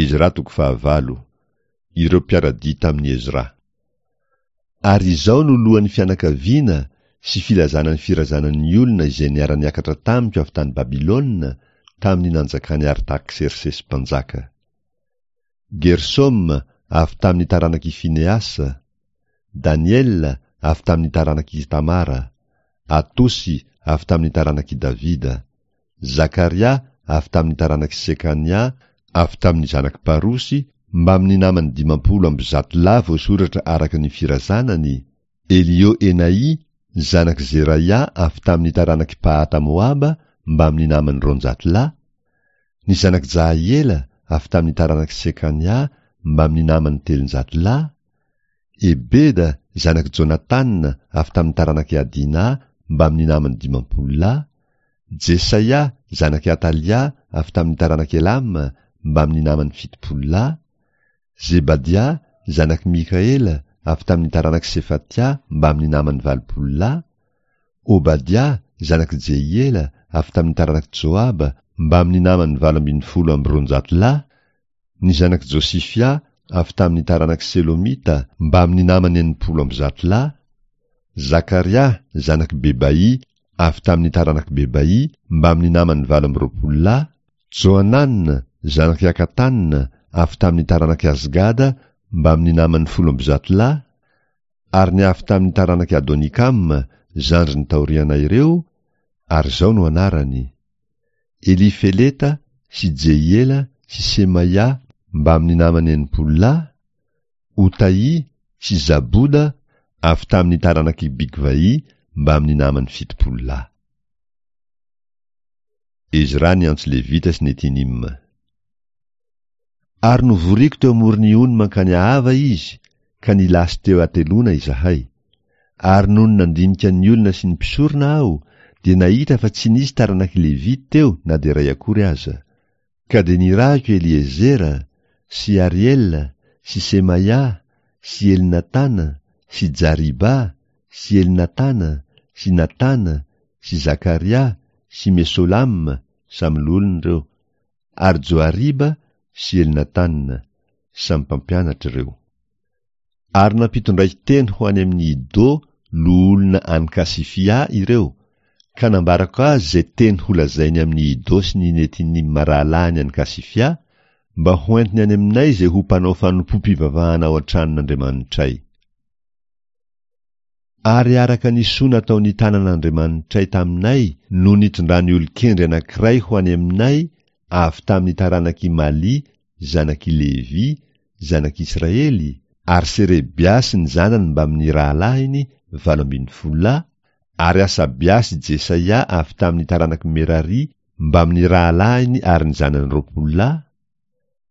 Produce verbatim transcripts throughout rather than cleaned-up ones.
Ezra toko fahavalo. Ireo mpiara-dia tamin'i Ezra. Ary izao no lohan'ny fianakaviana sy filazana ny firazanan'ny olona izay niara-niakatra tamiko avy tany Babylona tamin'ny nanjakan'i Artaksersesy mpanjaka. Gersoma avy tamin'ny taranak'i Fineasa, Daniela avy tamin'ny taranak'i Tamara, Atosy avy tamin'ny taranak'i Davida, Zakaria avy tamin'ny taranak'i Sekania avy tamin'ny zanak'i Parosy mbamin'ny namany dimampolo amby zato lahy voasoratra araka ny firazanany, Elio-Enai zanak'i Zeraia avy tamin'ny taranak'i Pahata Moaba mbamin'ny namany roanjato lahy, ny zanak'i Jahiela avy tamin'ny taranak'i Sekania mbamin'ny namany telonjato lahy, Ebeda zanak'i Jonatana avy tamin'ny taranak'i Adina mbamin'ny namany dimampolo lahy, Jesaia zanak'i Atalia avy tamin'ny taranak'i Elama mbamin'ny namany fitopolo lahy, Zebadia zanak'i Mikaela avy tamin'ny taranak'i Sefatia mbamin'ny namany valopolo lahy, Obadia zanak'i Jehiela avy tamin'ny taranak'i Joaba mbamin'ny namany valo ambin'ny folo amby roanjato lahy, ny zanak'i Josifia avy tamin'ny taranak'i Selomita mbamin'ny namany enimpolo amby zato lahy, Zakaria zanak'i Bebai avy tamin'ny taranak'i Bebai mbamin'ny namany valo amby roapolo lahy, Johanana zanak'i Akatana avy tamin'ny taranak'i Azgada mbamin'ny namany folo amby zato lahy, ary ny avy tamin'ny taranak'i Adonikama zandriny taoriana ireo, ary izao no anarany: Elifeleta sy Jehiela sy Semaia mbamin'ny namany enimpolo lahy, Otaì sy Zaboda avy tamin'ny taranak'i Bigvai mbamin'ny namany fitopolo lahy. Ezra niantso Levita sy Netinima. Ary novoriko teo amoron'ny ony mankany Ahava izy, ka nilasy teo hateloana izahay. Ary nony nandinika ny olona sy ny mpisorona aho, dia nahita fa tsy nisy taranak'i Levy teo na dia iray akory aza. Ka dia nirahiko Eliezera sy Ariela sy Semaia sy Elnatana sy Jariba sy Elnatana sy Natana sy Zakaria sy Mesolama, samy loholona ireo, ary Joariba sy Elnatana, samy mpampianatra ireo. Ary nampitondraiko teny ho any amin'i Ido loholona any Kasifia ireo, ka nambarako azy izay teny holazainy amin'i Ido sy ny Netinima rahalahiny any Kasifia, mba hoentiny any aminay izay ho mpanao fanompoam-pivavahana ao an-tranon'Andriamanitray. Ary araka ny soa nataon'ny tanan'Andriamanitray taminay no nitondrany olon-kendry anankiray ho any aminay avy tamin'ny taranak'i Mali zanak'i Levy zanak'Israely, ary Serebia sy ny zanany mbamin'ny rahalahiny valo ambin'ny folo lahy, ary Asabia sy Jesaia avy tamin'ny taranak'i Merari mbamin'ny rahalahiny ary ny zanany roapolo lahy,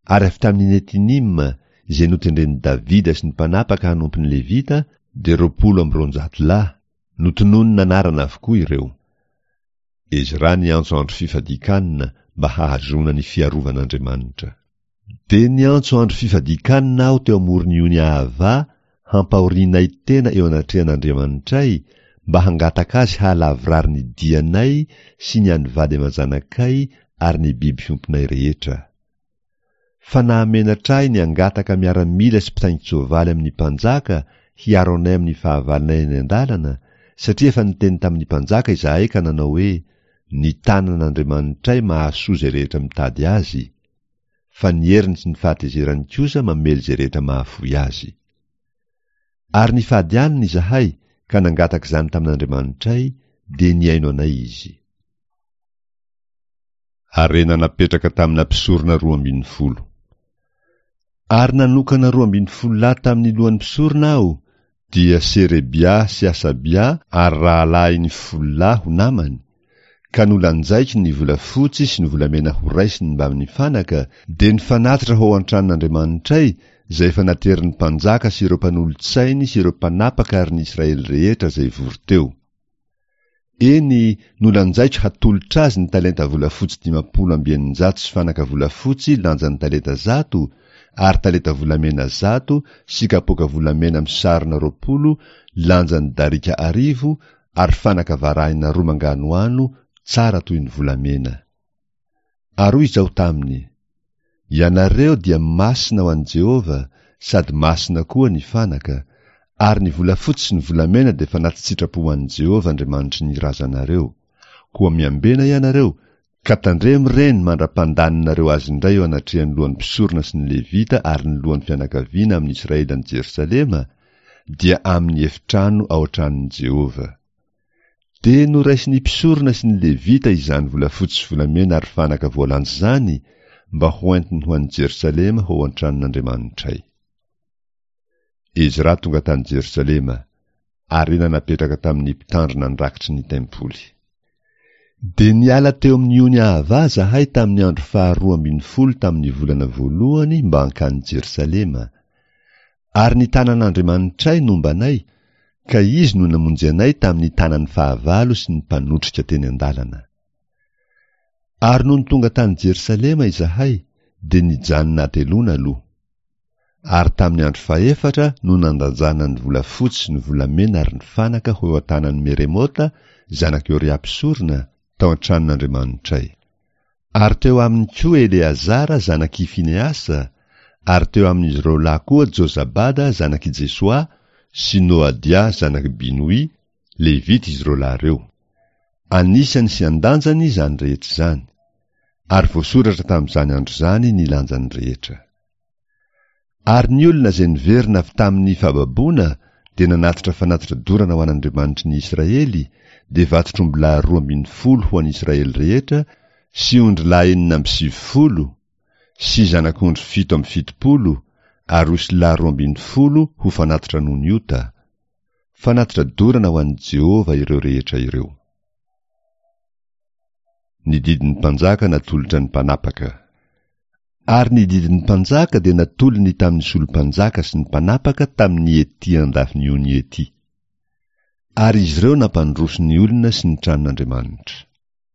ary avy tamin'ny Netinima izay notendren'i Davida sy ny mpanapaka hanompo ny Levita dia roapolo amby roanjato lahy, notononina anarana avokoa ireo. Ezra niantso andro fifadian-kanina mba hahazoana ny fiarovan'Andriamanitra. Dia niantso andro fifadian-kanina aho teo amoron'ny ony Ahava hampahorianay tena eo anatrehan'Andriamanitray mba hangataka azy hahalavorary ny dianay sy ny an'ny vady aman-janakay ary ny biby fiompinay rehetra. Fa nahamenatra ahy ny hangataka miaramila sy mpitaingin-tsoavaly amin'ny mpanjaka hiaro anay amin'ny fahavalonay any an-dalana, satria efa niteny tamin'ny mpanjaka izahay ka nanao hoe: Ny tanan'Andriamanitray mahasoa izay rehetra mitady azy, fa ny heriny sy ny fahatezerany kosa mamely izay rehetra mahafoy azy. Ary nifady hanina izahay ka nangataka izany tamin'Andriamanitray, dia nihaino anay izy. Harena napetraka tamina mpisorona roa ambin'ny folo. Ary nanokana roa ambin'ny folo lahy tamin'ny lohan'ny mpisorona aho, dia Serebia sy Asabia ary rahalahiny folo lahy ho namany, ka nolanjaiko ny volafotsy sy ny volamena horaisiny mbamin'ny fanaka, dia ny fanatitra ho ao an-tranon'Andriamanitray, izay efa naterin'ny mpanjaka sy ireo mpanolotsainy sy ireo mpanapaka ary ny Israely rehetra izay vory teo. Eny, nolanjaiko hatolotra azy ny talenta volafotsy dimampolo amby eninjato sy fanaka volafotsy lanjan'ny talenta zato, ary talenta volamena zato sy kapoaka volamena misarona roapolo lanjan'ny darika arivo ary fanaka varahina roa manganohano tsara toy ny volamena. Ary hoy izaho taminy: Ianareo dia masina ho an'i Jehovah, sady masina koa ny fanaka, ary ny volafotsy sy ny volamena dia fanati-tsitrapo ho an'i Jehovah Andriamanitry ny razanareo. Koa miambena ianareo, ka tandremo ireny mandra-pandaninareo azy indray eo anatrehan'ny lohan'ny mpisorona sy ny Levita ary ny lohan'ny fianakaviana amin'ny Israely any Jerosalema, dia amin'ny efitrano ao an-tranon'i Jehovah. Dia noraisin'ny mpisorona sy ny Levita izany volafotsy sy volamena ary fanaka voalanja izany mba hoentiny ho any Jerosalema ho ao an-tranon'Andriamanitray. Ezra tonga tany Jerosalema, harena napetraka tamin'ny mpitandrina ny rakitry ny tempoly. Dia niala teo amin'ny ony Ahava zahay tamin'ny andro faharoa ambin'ny folo tamin'ny volana voalohany mba hankany Jerosalema. Ary ny tanan'Andriamanitray nomba anay, ka izy no namonjy anay tamin'ny tanan'ny fahavalo sy ny mpanotrika teny an-dalana. Ary nony tonga tany Jerosalema izahay, dia nijanona hateloana aloha. Ary tamin'ny andro fahefatra no nandanjana ny volafotsy sy ny volamena ary ny fanaka ho eo an-tanan'i Meremota, zanak'i Oria mpisorona, tao an-tranon'Andriamanitray. Ary teo aminy koa Eleazara zanak'i Finehasa, ary teo amin'izy ireo lahy koa Jozabada zanak'i Jesoa sy Noadia zanak'i Binoy, Levita izy ireo lahy ireo. Anisany sy an-danjany izany rehetra izany, ary voasoratra tamin'izany andro izany ny lanjany rehetra. Ary ny olona izay niverina avy tamin'ny fahababoana dia nanatitra fanatitra dorana ho an'Andriamanitry ny Israely, dia vatotr'ombilahy roa ambin'ny folo ho an'ny Israely rehetra sy ondrilahy enina amby sivifolo sy zanak'ondry fito amby fitopolo ary osilahy roa ambin'ny folo ho fanatitra noho ny ota. Fanatitra dorana ho an'i Jehovah ireo rehetra ireo. Ny didin'ny mpanjaka natolotra ny mpanapaka. Ary ny didin'ny mpanjaka dia natolony tamin'ny solom-panjaka sy ny mpanapaka tamin'ny ety andafin'ny ony ety. Ary izy ireo nampandroso ny olona sy ny tranon'Andriamanitra.